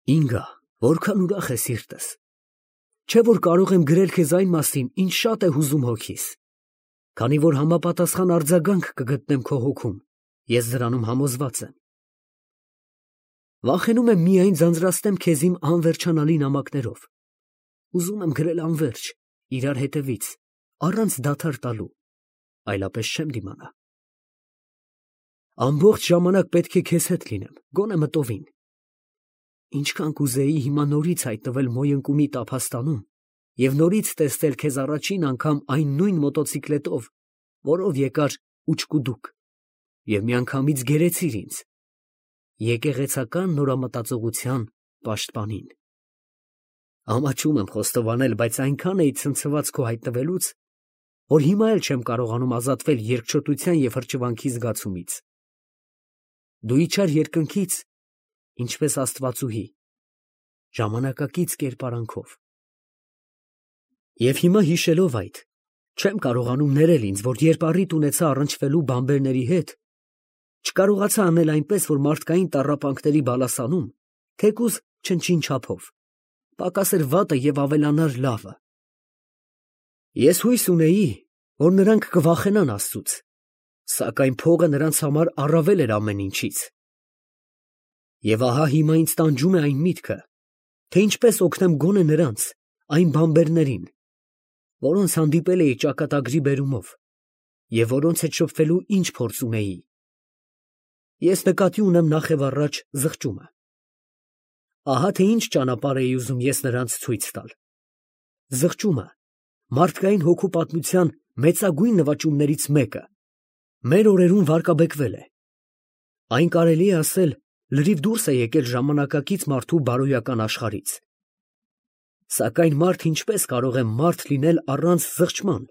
Ինգա, որքան ուրախ է սիրտս։ Չէ՞ որ կարող եմ գրել քեզ այն մասին, ինչ շատ է հուզում հոգիս։ Քանի որ համապատասխան արձագանք կգտնեմ քո հոգում, ես դրանում համոզված եմ։ Վախենում եմ միայն ձանձրացնեմ քեզ իմ անվերջանալի նամակներով։ Ուզում եմ գրել անվերջ, իրար հետևից, առանց դադար տալու, այլապես չեմ դիմանա։ Ամբողջ ժամանակ պետք է քեզ հետ լինեմ, գոնե մտովին։ Ինչքան կուզեի հիմա նորից հայտնվել Մոյընկումի տափաստանում և նորից տեսնել քեզ առաջին անգամ այն նույն մոտոցիկլետով, որով եկար ուչկուդուկ, և միանգամից գերեցիր ինձ, եկեղեցական նորամտածողության պաշտպանին։ Ամաչում եմ խոստովանել, բայց այնքան էի ցնցված քո հայտնվելուց, որ հիմա էլ չեմ կարողանում ազատվել երկչոտության և հրճվանքի զգացումից։ Դու իջար երկնքից, ինչպես աստվածուհի, ժամանակակից կերպարանքով։ Եվ հիմա հիշելով այդ, չեմ կարողանում ներել ինձ, որ երբ առիթ ունեցա առնչվելու բանբերների հետ, չկարողացա անել այնպես, որ մարդկային տառապանքների բալասանում, թեկուզ չնչին չափով, պակասեր վատը և ավելանար լավը։ Ես հույս ունեի, որ նրանք կվախենան Աստծուց, սակայն փողը նրանց համար առավել էր ամեն ինչից։ Եվ ահա հիմա ինձ տանջում է այն միտքը, թե ինչպես օգնեմ գոնե նրանց, այն բանբերներին, որոնց հանդիպել էի ճակատագրի բերումով և որոնց հետ շփվելու ինչ փորձ ունեի։ Ես նկատի ունեմ նախևառաջ զղջումը։ Ահա թե ինչ ճանապարհ էի ուզում ես նրանց ցույց տալ։ Զղջումը մարդկային հոգու պատմության մեծագույն նվաճումներից մեկը մեր օրերում վարկաբեկվել է։ Այն կարելի է ասել լրիվ դուրս է եկել ժամանակակից մարդու բարոյական աշխարհից։ Սակայն մարդ ինչպես կարող է մարդ լինել առանց զղջման,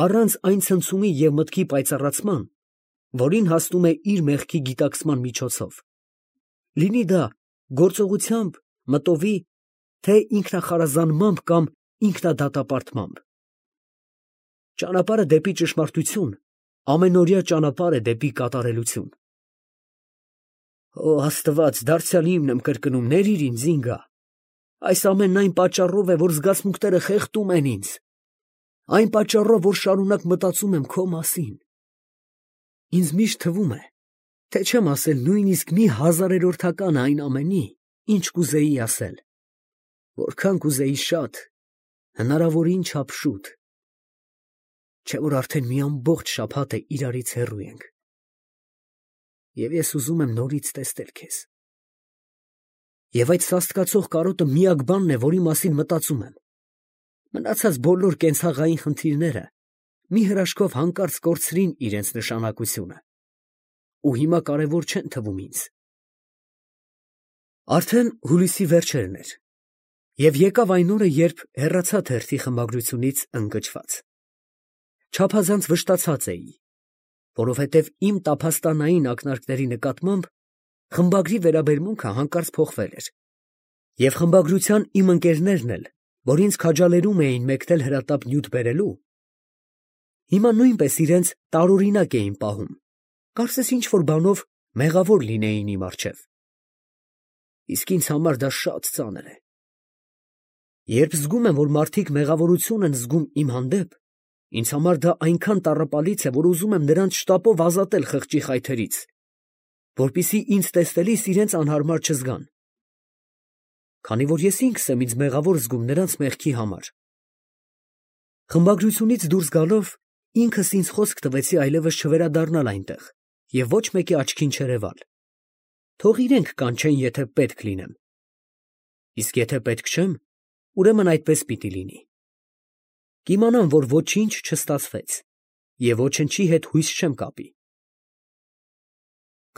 առանց այն ցնցումի և մտքի պայծառացման, որին հասնում է իր մեղքի գիտակցման միջոցով, լինի դա գործողությամբ, մտովի, թե ինքնախարազանմամբ կամ ինքնադատապարտմամբ։ Ճանապարհը դեպի ճշմարտություն ամենօրյա ճանապարհ է դեպի կատարելություն։ Օ Աստված, դարձյալ իմն եմ կրկնում, ներիր ինձ, Ինգա։ Այս ամենն այն պատճառով է, որ զգացմունքները խեղդում են ինձ, այն պատճառով, որ շարունակ մտածում եմ քո մասին։ Ինձ միշտ թվում է, թե չեմ ասել նույնիսկ մի հազարերորդական այն ամենի, ինչ կուզեի ասել, որքան կուզեի շատ, հնարավորին չափ շուտ, չէ՞ որ արդեն մի ամբողջ շաբաթ է իրարից հեռու ենք, և ես ուզում եմ նորից տեսնել քեզ։ Եվ այդ սաստկացող կարոտը միակ բանն է, որի մասին մտածում եմ։ Մնացած բոլոր կենցաղային խնդիրները մի հրաշքով հանկարծ կորցրին իրենց նշանակությունը ու հիմա կարևոր չեն թվում ինձ։ Արդեն հուլիսի վերջերն էր, և եկավ այն օրը, երբ հեռացա թերթի խմբագրությունից ընկճված։ Չափազանց վշտացած էի, որովհետև իմ տափաստանային ակնարկների նկատմամբ խմբագրի վերաբերմունքը հանկարծ փոխվել էր, և խմբագրության իմ ընկերներն էլ, որ ինձ քաջալերում էին մեկնել հրատապ նյութ բերելու, հիմա նույնպես իրենց տարօրինակ էին պահում, կարծես ինչ֊որ բանով մեղավոր լինեին իմ առջև։ Իսկ ինձ համար դա շատ ծանր է։ Երբ զգում եմ, որ մարդիկ մեղավորություն են զգում իմ հանդեպ, ինձ համար դա այնքան տառապալից է, որ ուզում եմ նրանց շտապով ազատել խղճի խայթերից, որպեսզի ինձ տեսնելիս իրենց անհարմար չզգան, քանի որ ես ինքս եմ ինձ մեղավոր զգում նրանց մեղքի համար։ Խմբագրությունից դուրս գալով ինքս ինձ խոսք տվեցի այլևս չվերադառնալ այնտեղ և ոչ մեկի աչքին չերևալ։ Թող իրենք կանչեն, եթե պետք լինեմ։ Իսկ եթե պետք չեմ, ուրեմն այդպես պիտի լինի։ Կիմանամ, որ ոչինչ չստացվեց և ոչնչի հետ հույս չեմ կապի։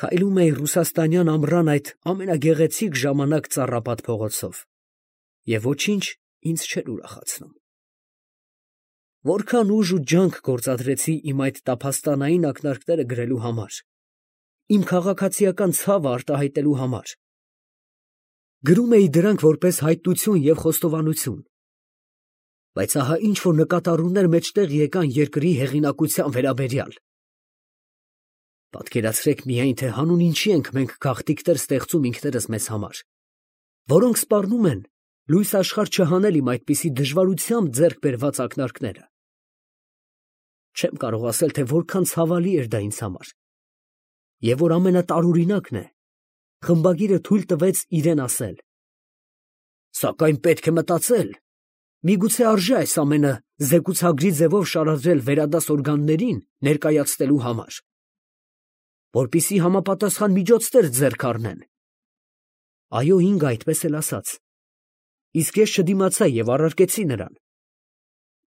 Քայլում էի ռուսաստանյան ամռան այդ ամենագեղեցիկ ժամանակ ծառապատ փողոցով, և ոչինչ ինձ չէր ուրախացնում։ Որքան ուժ ու ջանք գործադրեցի իմ այդ տափաստանային ակնարկները գրելու համար, իմ քաղաքացիական ցավը արտահայտելու համար։ Գրում էի դրանք որպես հայտություն և խոստովանություն, բայց ահա ինչ-որ նկատառումներ մեջտեղ եկան երկրի հեղինակության վերաբերյալ։ Պատկերացրեք միայն, թե հանուն ինչի ենք մենք գաղտնիքներ ստեղծում ինքներս մեզ համար, որոնք սպառնում են լույս աշխարհ չհանել իմ այդպիսի դժվարությամբ ձեռք բերված ակնարկները։ Չեմ կարող ասել, թե որքան ցավալի էր դա ինձ համար, եւ որ ամենատարօրինակն է, խմբագիրը թույլ տվեց իրեն ասել. «Սակայն պետք է մտածել, միգուցե արժե այս ամենը զեկուցագրի ձևով շարադրել վերադաս օրգաններին ներկայացնելու համար, որպեսզի համապատասխան միջոցներ ձեռք առնեն»։ Այո, Ինգա այդպես էլ ասաց, իսկ ես չդիմացա եւ առարկեցի նրան.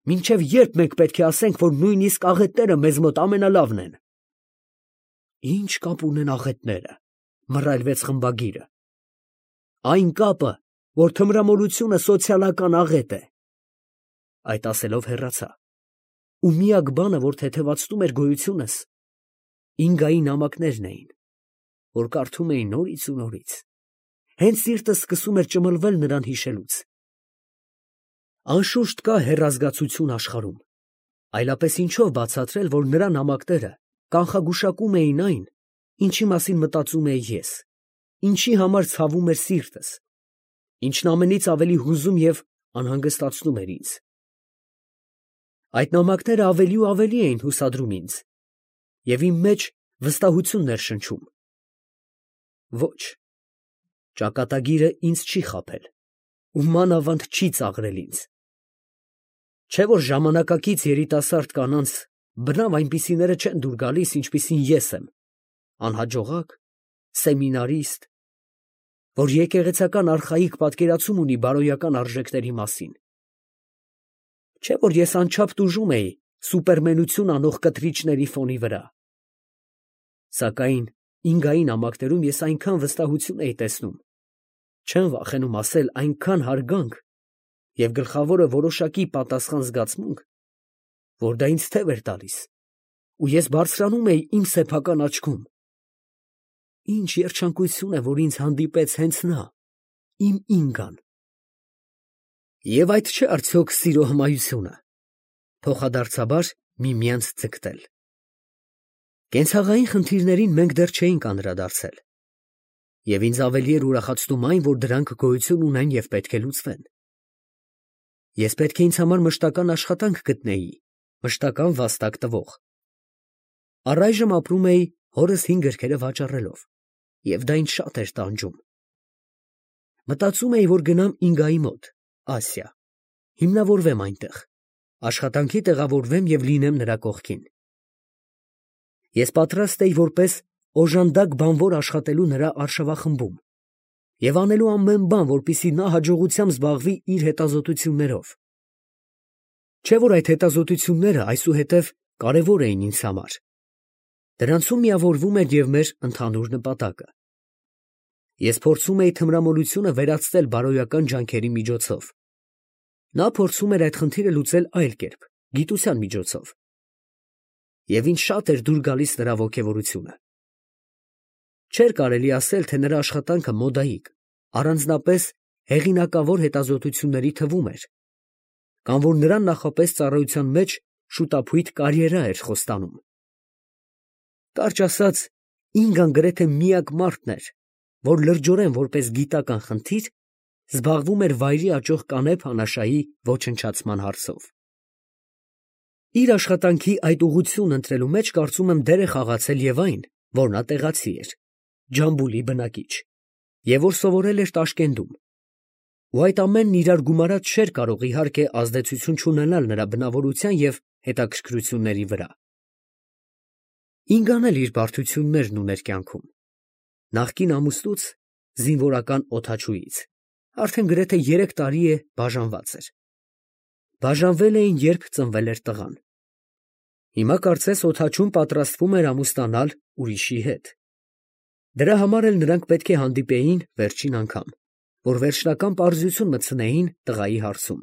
«Մինչև երբ մենք պետք է ասենք, որ նույնիսկ աղետները մեզ մոտ ամենալավն են»։ «Ինչ կապ ունեն աղետները», մռայլվեց խմբագիրը։ «Այն կապը, որ թմրամոլությունը սոցիալական աղետ է»։ Այդ ասելով հեռացա։ Ու միակ բանը, որ թեթևացնում էր գոյությունս, Ինգայի նամակներն էին, որ կարդում էի նորից ու նորից։ Հենց սիրտս սկսում էր ճմլվել նրան հիշելուց։ Անշուշտ կա հեռազգացություն աշխարհում, այլապես ինչով բացատրել, որ նրա նամակները կանխագուշակում էին այն, ինչի մասին մտածում էի ես, ինչի համար ցավում էր սիրտս, ինչն ամենից ավելի հուզում և անհանգստացնում էր ինձ։ Այդ նամակները ավելի ու ավելի էին հուսադրում ինձ, և իմ մեջ վստահությունն էր շնչում։ Ոչ, ճակատագիրը ինձ չի խաբել ու մանավանդ չի ծաղրել ինձ։ Չէ՞ որ ժամանակակից երիտասարդ կանանց բնավ այնպիսիները չեն դուր գալիս, ինչպիսին ես եմ, անհաջողակ, սեմինարիստ, որ եկեղեցական արխայիկ պատկերացում ունի բարոյական արժեքների մասին։ Չէ՞ որ ես անչափ տուժում էի սուպերմենություն անող կտրիչների ֆոնի վրա։ Սակայն Ինգայի նամակներում ես այնքան վստահություն էի տեսնում, չեմ վախենում ասել այնքան հարգանք և գլխավորը որոշակի պատասխան զգացմունք, որ դա ինձ թև էր տալիս, ու ես բարձրանում էի իմ սեփական աչքում։ Ինչ երջանկություն է, որ ինձ հանդիպեց հենց նա, իմ Ինգան։ Եվ այդ չէ արդյոք սիրո հմայությունը, փոխադարձաբար միմյանց ձգտել։ Կենցաղային խնդիրներին մենք դեռ չէինք անդրադարձել, և ինձ ավելի էր ուրախացնում այն, որ դրանք գոյություն ունեն և պետք է լուծվեն։ Ես պետք է ինձ համար մշտական աշխատանք գտնեի, մշտական վաստակ տվող։ Առայժմ ապրում էի հորս 5 գրքերը վաճառելով, և դա ինձ շատ էր տանջում։ Մտածում էի, որ գնամ Ինգայի մոտ, Ասիա, հիմնավորվեմ այնտեղ, աշխատանքի տեղավորվեմ և լինեմ նրա կողքին։ Ես պատրաստ էի որպես օժանդակ բանվոր աշխատելու նրա արշավախմբում և անելու ամեն բան, որպեսզի նա հաջողությամբ զբաղվի իր հետազոտություններով։ Չէ՞ որ այդ հետազոտությունները այսուհետև կարևոր էին ինձ համար։ Դրանցում միավորվում էր և մեր ընդհանուր նպատակը։ Ես փորձում էի թմրամոլությունը վերածել բարոյական ջանքերի միջոցով։ Նա փորձում էր այդ խնդիրը լուծել այլ կերպ, գիտության միջոցով։ Եվ ինձ շատ էր դուր գալիս նրա ոգևորությունը։ Չէր կարելի ասել, թե նրա աշխատանքը մոդայիկ, առանձնապես հեղինակավոր հետազոտությունների թվում էր, կամ որ նրան նախապես ծառայության մեջ շուտափույթ կարիերա էր խոստանում։ Կարճ ասած, Ինգան գրեթե միակ մարդն էր, որ լրջորեն որպես գիտական խնդիր զբաղվում էր վայրի աճող կանեփ անաշայի ոչնչացման հարցով։ Իր աշխատանքի այդ ուղղությունն ընտրելու մեջ կարծում եմ դեր է խաղացել և այն, որ նա տեղացի էր, Ջամբուլի բնակիչ, և որ սովորել էր Տաշկենտում, ու այդ ամենն իրար գումարած չէր կարող իհարկե ազդեցություն չունենալ նրա բնավորության և հետաքրքրությունների վրա։ Ինգան էլ իր բարդություններն ուներ կյանքում։ Նախկին ամուսնուց, զինվորական օդաչուից, արդեն գրեթե 3 տարի է բաժանված էր։ Բաժանվել էին, երբ ծնվել էր տղան։ Հիմա կարծես օդաչուն պատրաստվում էր ամուսնանալ ուրիշի հետ։ Դրա համար էլ նրանք պետք է հանդիպեին վերջին անգամ, որ վերջնական պարզություն մտցնեին տղայի հարցում։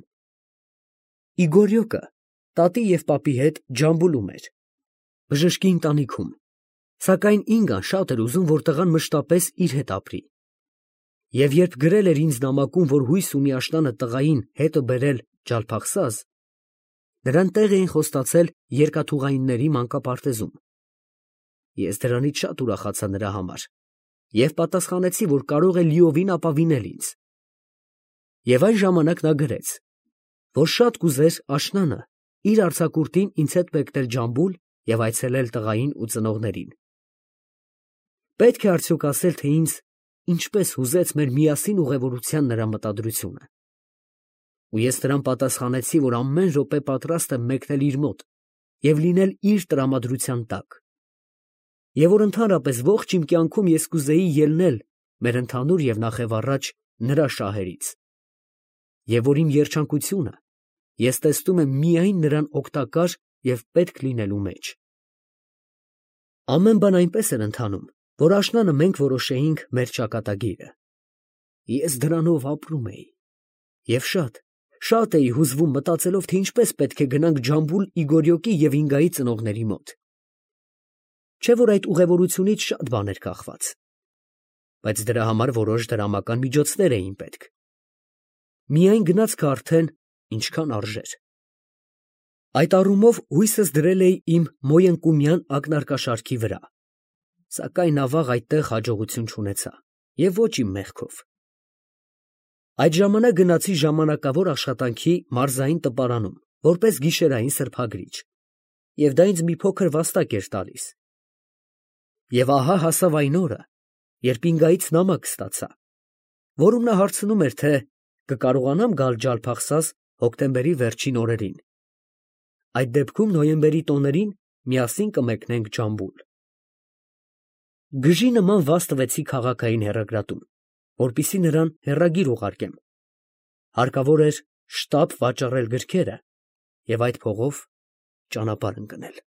Իգորյոկը տատի և պապի հետ Ջամբուլում էր, բժշկի ընտանիքում, սակայն Ինգան շատ էր ուզում, որ տղան մշտապես իր հետ ապրի։ Եվ երբ գրել էր ինձ նամակում, որ հույս ունի աշնանը տղային հետը բերել Ջալփախսազ, նրան տեղ էին խոստացել երկաթուղայինների մանկապարտեզում։ Ես դրանից շատ ուրախացա նրա համար և պատասխանեցի, որ կարող է լիովին ապավինել ինձ, Եվ այն ժամանակ նա գրեց, որ շատ կուզեր աշնանը իր արձակուրդին ինձ հետ մեկնել Ջամբուլ և այցելել տղային ու ծնողներին։ Պետք է արդյոք ասել, թե ինձ ինչպես հուզեց մեր միասին ուղևորության նրա մտադրությունը։ Ու ես նրան պատասխանեցի, որ ամեն րոպե պատրաստ եմ մեկնել իր մոտ և լինել իր տրամադրության տակ, և որ ընդհանրապես ողջ իմ կյանքում ես կուզեի ելնել մեր ընդհանուր և նախևառաջ նրա շահերից, և որ իմ երջանկությունը ես տեսնում եմ միայն նրան օգտակար և պետք լինելու մեջ։ Ամեն բան այնպես էր ընթանում, որ աշնանը մենք որոշեինք մեր ճակատագիրը։ Ես դրանով ապրում էի և շատ էի հուզվում մտածելով, թե ինչպես պետք է գնանք Ջամբուլ Իգորյոկի և Ինգայի ծնողների մոտ։ Չէ՞ որ այդ ուղևորությունից շատ բան էր կախված, բայց դրա համար որոշ դրամական միջոցներ էին պետք։ Միայն գնացքը արդեն ինչքան արժեր։ Այդ առումով հույսս դրել էի իմ մոյընկումյան ակնարկաշարքի վրա, սակայն ավաղ այդտեղ հաջողություն չունեցա և ոչ իմ մեղքով։ Այդ ժամանակ գնացի ժամանակավոր աշխատանքի մարզային տպարանում, որպես գիշերային սրբագրիչ, և դա ինձ մի փոքր վաստակ էր տալիս։ Եվ ահա հասավ այն օրը, երբ Ինգայից նամակ ստացա, որում նա հարցնում էր, թե կկարողանամ գալ Ջալփախսազ հոկտեմբերի վերջին օրերին։ Այդ դեպքում նոյեմբերի տոներին միասին կմեկնենք Ջամբուլ։ Գժի նման վազ տվեցի քաղաքային հեռագրատուն, որպեսզի նրան հեռագիր ուղարկեմ։ Հարկավոր էր շտապ վաճառել գրքերը և այդ փողով ճանապարհ ընկնել։